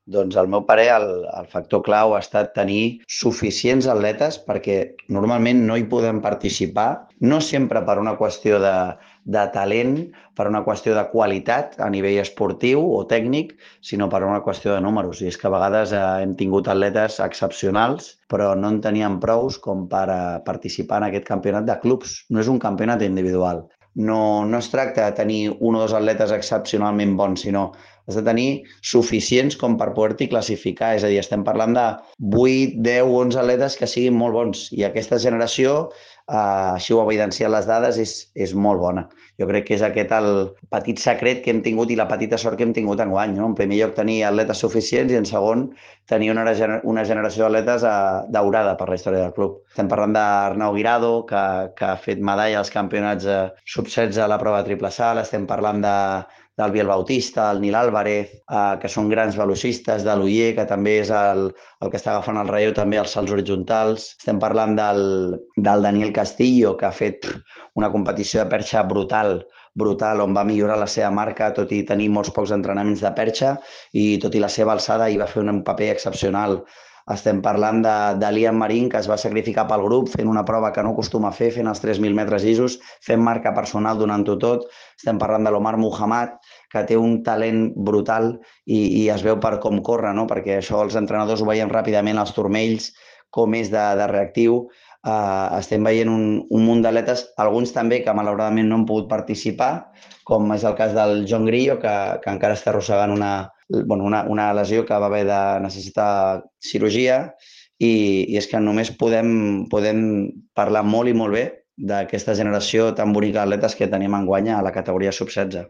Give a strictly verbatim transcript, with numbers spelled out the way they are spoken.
Doncs al meu parer el, el factor clau ha estat tenir suficients atletes perquè normalment no hi podem participar, no sempre per una qüestió de, de talent, per una qüestió de qualitat a nivell esportiu o tècnic, sinó per una qüestió de números. I és que a vegades eh, hem tingut atletes excepcionals, però no en teníem prous com per a participar en aquest campionat de clubs. No és un campionat individual. No, no es tracta de tenir un o dos atletes excepcionalment bons, sinó has de tenir suficients com per poder-t'hi classificar. És a dir, estem parlant de vuit, deu, onze atletes que siguin molt bons. I aquesta generació, eh, així ho ha evidenciat les dades, és, és molt bona. Jo crec que és aquest el petit secret que hem tingut i la petita sort que hem tingut enguany. No? En primer lloc, tenir atletes suficients i en segon, tenir una, una generació d'atletes eh, daurada per la història del club. Estem parlant d'Arnau Guirado, que, que ha fet medalla als campionats eh, sub setze a la prova de triple salt. Estem parlant de del Biel Bautista, el Nil Álvarez, eh, que són grans velocistes, de l'Uller, que també és el, el que està agafant el relleu també als salts horitzontals. Estem parlant del, del Daniel Castillo, que ha fet una competició de perxa brutal, brutal, on va millorar la seva marca, tot i tenir molts pocs entrenaments de perxa, i tot i la seva alçada hi va fer un paper excepcional. Estem parlant de, de Liam Marín, que es va sacrificar pel grup fent una prova que no acostuma a fer, fent els tres mil metres llisos, fent marca personal donant-ho tot. Estem parlant de l'Omar Muhammad, que té un talent brutal i, i es veu per com corre, no? Perquè això els entrenadors ho veiem ràpidament als turmells, com és de, de reactiu. Uh, estem veient un, un munt d'atletes, alguns també que malauradament no han pogut participar, com és el cas del John Grillo, que, que encara està arrossegant una, bueno, una, una lesió que va haver de necessitar cirurgia i, i és que només podem, podem parlar molt i molt bé d'aquesta generació tan bonica d'atletes que tenim enguany a la categoria sub setze.